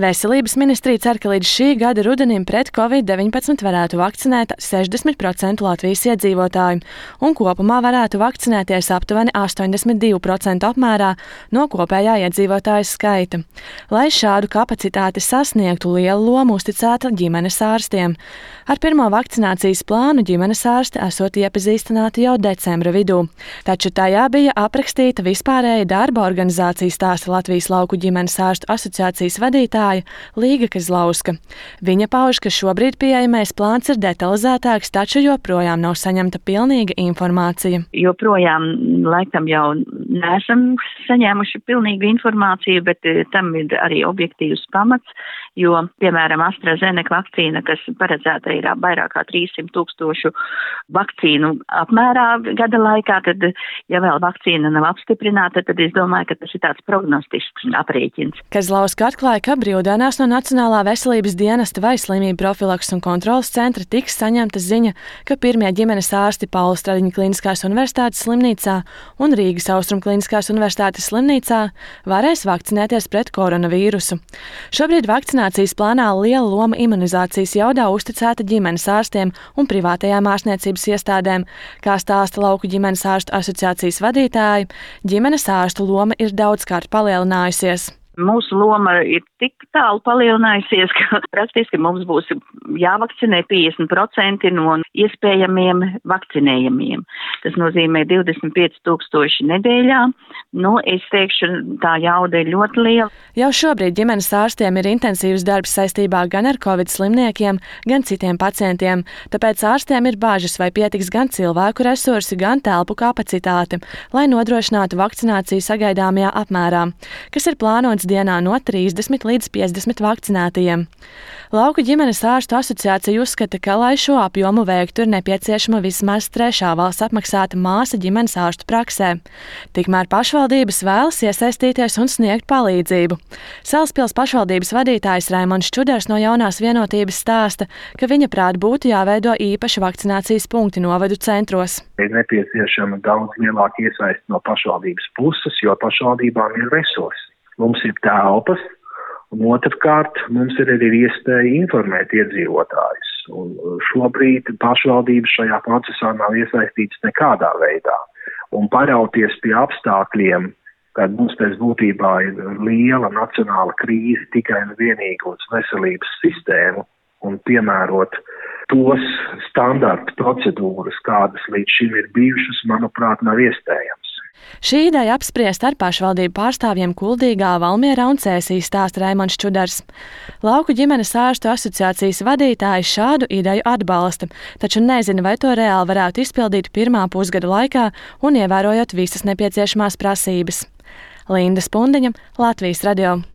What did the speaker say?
Veselības ministrija cer, ka līdz šī gada rudenim pret Covid-19 varētu vakcinēt 60% Latvijas iedzīvotāju, un kopumā varētu vakcinēties aptuveni 82% apmērā no kopējā iedzīvotāju skaita. Lai šādu kapacitāti sasniegtu, lielu lomu uzticēta ģimenes ārstiem. Ar pirmo vakcinācijas plānu ģimenes ārsti esot iepazīstināti jau decembra vidū, taču tajā bija aprakstīta vispārēja darba organizācija, stāsta Latvijas lauku ģimenes ārstu asociācijas vadītāja Līga Kazlauska. Viņa pauž, ka šobrīd pieejamais plāns ir detalizētāks, taču joprojām nav saņemta pilnīga informācija. Joprojām laikam jau neesam saņēmuši pilnīgu informāciju, bet tam ir arī objektīvs pamats, jo, piemēram, AstraZeneca vakcīna, kas paredzēta ir vairāk kā 300,000 vakcīnu apmērā gada laikā, tad, ja vēl vakcīna nav apstiprināta, tad es domāju, ka tas ir tāds prognostisks aprēķins. Kazlauska atklāja, ka brīvdienās no Nacionālā veselības dienesta vai slimību profilakses un kontroles centra tiks saņemta ziņa, ka pirmie ģimenes ārsti Paula Stradiņa Kliniskās universitātes slimnīcā un Rīgas Austrum Kliniskās universitātes slimnīcā varēs vakcinēties pret koronavīrusu. Šobrīd vakcinācijas plānā liela loma imunizācijas jaudā uzticēta ģimenes ārstiem un privātajām ārstniecības iestādēm. Kā stāsta lauku ģimenes ārstu asociācijas vadītāji, ģimenes ārstu loma ir daudzkārt palielinājusies. Mūsu loma ir tik tālu palielinājusies, ka praktiski mums būs jāvakcinē 50% no iespējamiem vakcinējumiem. Tas nozīmē 25,000 nedēļā. Es teikšu, tā jauda ir ļoti liela. Jau šobrīd ģimenes ārstiem ir intensīvs darbs saistībā gan ar Covid slimniekiem, gan citiem pacientiem. Tāpēc ārstiem ir bāžas, vai pietiks gan cilvēku resursi, gan telpu kapacitāte, lai nodrošinātu vakcināciju sagaidāmajā apmērā, kas ir plānots dienā no 30 līdz 50 vakcinētajiem. Lauku ģimenes ārstu asociācija uzskata, ka, lai šo apjomu veiktu, ir nepieciešama vismaz trešā valsts apmaksāta māsa ģimenes ārstu praksē. Tikmēr pašvaldības vēlas iesaistīties un sniegt palīdzību. Salaspils pašvaldības vadītājs Raimonds Čudars no Jaunās vienotības stāsta, ka viņa prāt būtu jāveido īpaši vakcinācijas punkti novadu centros. Ir nepieciešama daudz lielāka iesaiste no pašvaldības puses, jo pašvaldībām ir resursi. Mums ir telpas, un otrkārt mums ir arī iespēja informēt iedzīvotājus. Un šobrīd pašvaldības šajā procesā nav iesaistītas nekādā veidā. Un parauties pie apstākļiem, kad mums pēc būtībā ir liela nacionāla krīze tikai un vienīgi uz veselības sistēmu un piemērot tos standarta procedūras, kādas līdz šim ir bijušas, manuprāt, nav iespējams. Šī ideja apspriest ar pašvaldību pārstāvjiem Kuldīgā, Valmierā un Cēsī, stāsta Raimonds Čudars. Lauku ģimenes ārstu asociācijas vadītājs šādu ideju atbalsta, taču nezina, vai to reāli varētu izpildīt pirmā pusgada laikā un ievērojot visas nepieciešamās prasības. Linda Spundiņa, Latvijas radio.